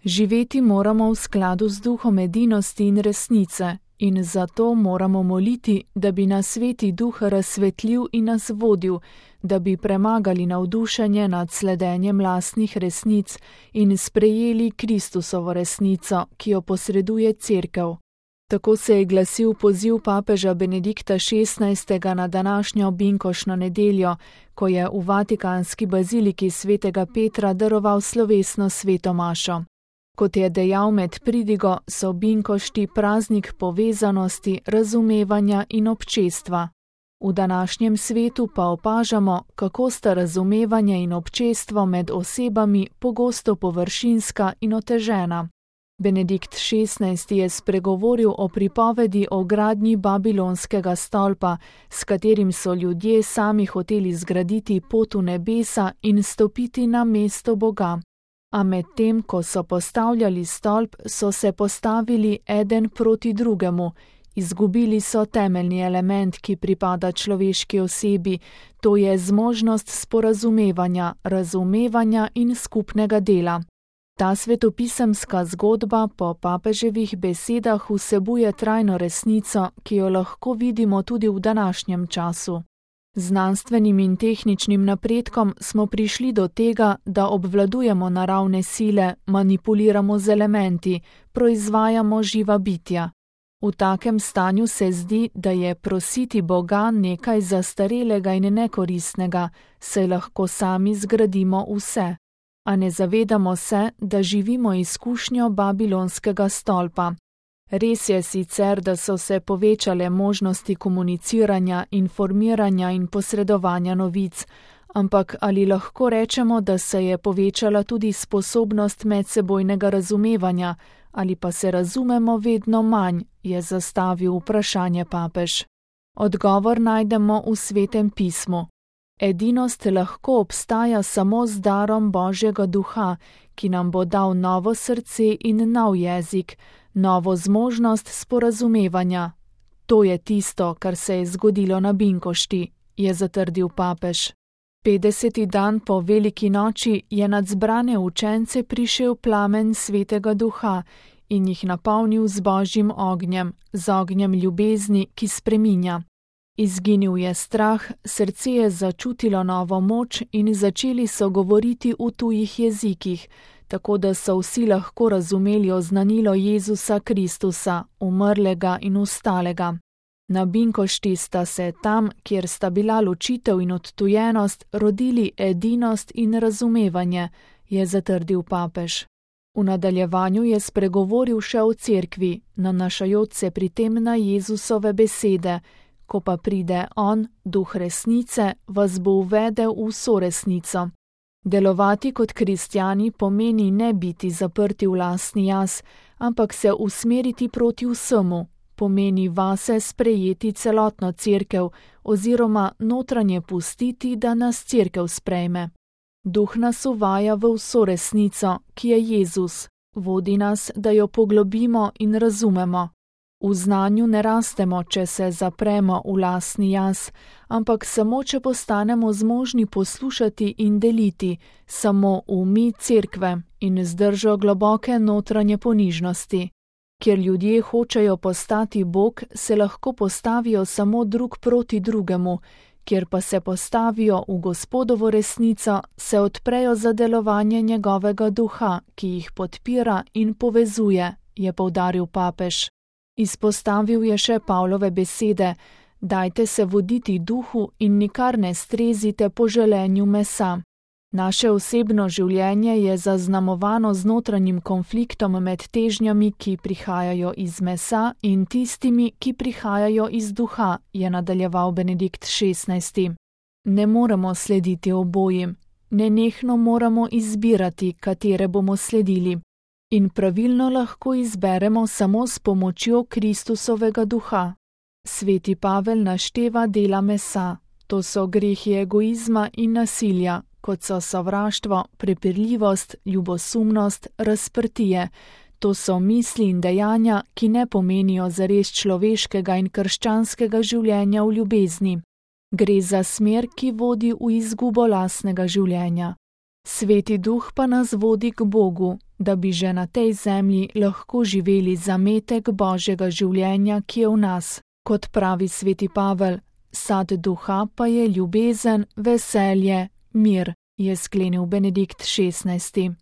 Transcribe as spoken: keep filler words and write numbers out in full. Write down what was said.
Živeti moramo v skladu z duhom edinosti in resnice in zato moramo moliti, da bi nas Sveti Duh razsvetlil in nas vodil, da bi premagali navdušenje nad sledenjem lastnih resnic in sprejeli Kristusovo resnico, ki jo posreduje Cerkev. Tako se je glasil poziv papeža Benedikta šestnajstega na današnjo binkošno nedeljo, ko je v vatikanski baziliki svetega Petra daroval slovesno sveto mašo. Kot je dejal med pridigo, so binkošti praznik povezanosti, razumevanja in občestva. V današnjem svetu pa opažamo, kako sta razumevanje in občestvo med osebami pogosto površinska in otežena. Benedikt šestnajsti je spregovoril o pripovedi o gradnji babilonskega stolpa, s katerim so ljudje sami hoteli zgraditi pot v nebesa in stopiti na mesto Boga. A medtem, ko so postavljali stolp, so se postavili eden proti drugemu. Izgubili so temeljni element, ki pripada človeški osebi, to je zmožnost sporazumevanja, razumevanja in skupnega dela. Ta svetopisemska zgodba po papeževih besedah vsebuje trajno resnico, ki jo lahko vidimo tudi v današnjem času. Znanstvenim in tehničnim napredkom smo prišli do tega, da obvladujemo naravne sile, manipuliramo z elementi, proizvajamo živa bitja. V takem stanju se zdi, da je prositi Boga nekaj zastarelega in nekoristnega, saj lahko sami zgradimo vse. A ne zavedamo se, da živimo izkušnjo babilonskega stolpa. Res je sicer, da so se povečale možnosti komuniciranja, informiranja in posredovanja novic, ampak ali lahko rečemo, da se je povečala tudi sposobnost medsebojnega razumevanja, ali pa se razumemo vedno manj, je zastavil vprašanje papež. Odgovor najdemo v Svetem pismu. Edinost lahko obstaja samo z darom Božjega duha, ki nam bo dal novo srce in nov jezik, novo zmožnost sporazumevanja. To je tisto, kar se je zgodilo na binkošti, je zatrdil papež. Petdeseti dan po veliki noči je nad zbrane učence prišel plamen Svetega Duha in jih napolnil z Božjim ognjem, z ognjem ljubezni, ki spreminja. Izginil je strah, srce je začutilo novo moč in začeli so govoriti v tujih jezikih, tako da so vsi lahko razumeli oznanilo Jezusa Kristusa, umrlega in vstalega. Na binkošti sta se tam, kjer sta bila ločitev in odtujenost, rodili edinost in razumevanje, je zatrdil papež. V nadaljevanju je spregovoril še o cerkvi, nanašajoč se pri tem na Jezusove besede, ko pa pride on, duh resnice, vas bo uvedel v vso resnico. Delovati kot kristjani pomeni ne biti zaprti v lastni jaz, ampak se usmeriti proti vsemu, pomeni vase sprejeti celotno cerkev oziroma notranje pustiti, da nas cerkev sprejme. Duh nas uvaja v vso resnico, ki je Jezus, vodi nas, da jo poglobimo in razumemo. V znanju ne rastemo, če se zapremo v lastni jaz, ampak samo, če postanemo zmožni poslušati in deliti, samo v mi cerkve in zdržo globoke notranje ponižnosti. Kjer ljudje hočejo postati Bog, se lahko postavijo samo drug proti drugemu, kjer pa se postavijo v Gospodovo resnico, se odprejo za delovanje njegovega duha, ki jih podpira in povezuje, je poudaril papež. Izpostavil je še Pavlove besede: dajte se voditi duhu in nikar ne strezite po želenju mesa. Naše osebno življenje je zaznamovano z notranjim konfliktom med težnjami, ki prihajajo iz mesa, in tistimi, ki prihajajo iz duha, je nadaljeval Benedikt šestnajsti. Ne moremo slediti obojim, nenehno moramo izbirati, katere bomo sledili. In pravilno lahko izberemo samo s pomočjo Kristusovega duha. Sveti Pavel našteva dela mesa, to so grehi egoizma in nasilja, kot so sovraštvo, prepirljivost, ljubosumnost, razprtije. To so misli in dejanja, ki ne pomenijo zares človeškega in krščanskega življenja v ljubezni. Gre za smer, ki vodi v izgubo lastnega življenja. Sveti Duh pa nas vodi k Bogu, da bi že na tej zemlji lahko živeli zametek Božjega življenja, ki je v nas. Kot pravi sveti Pavel, sad duha pa je ljubezen, veselje, mir, je sklenil Benedikt šestnajsti.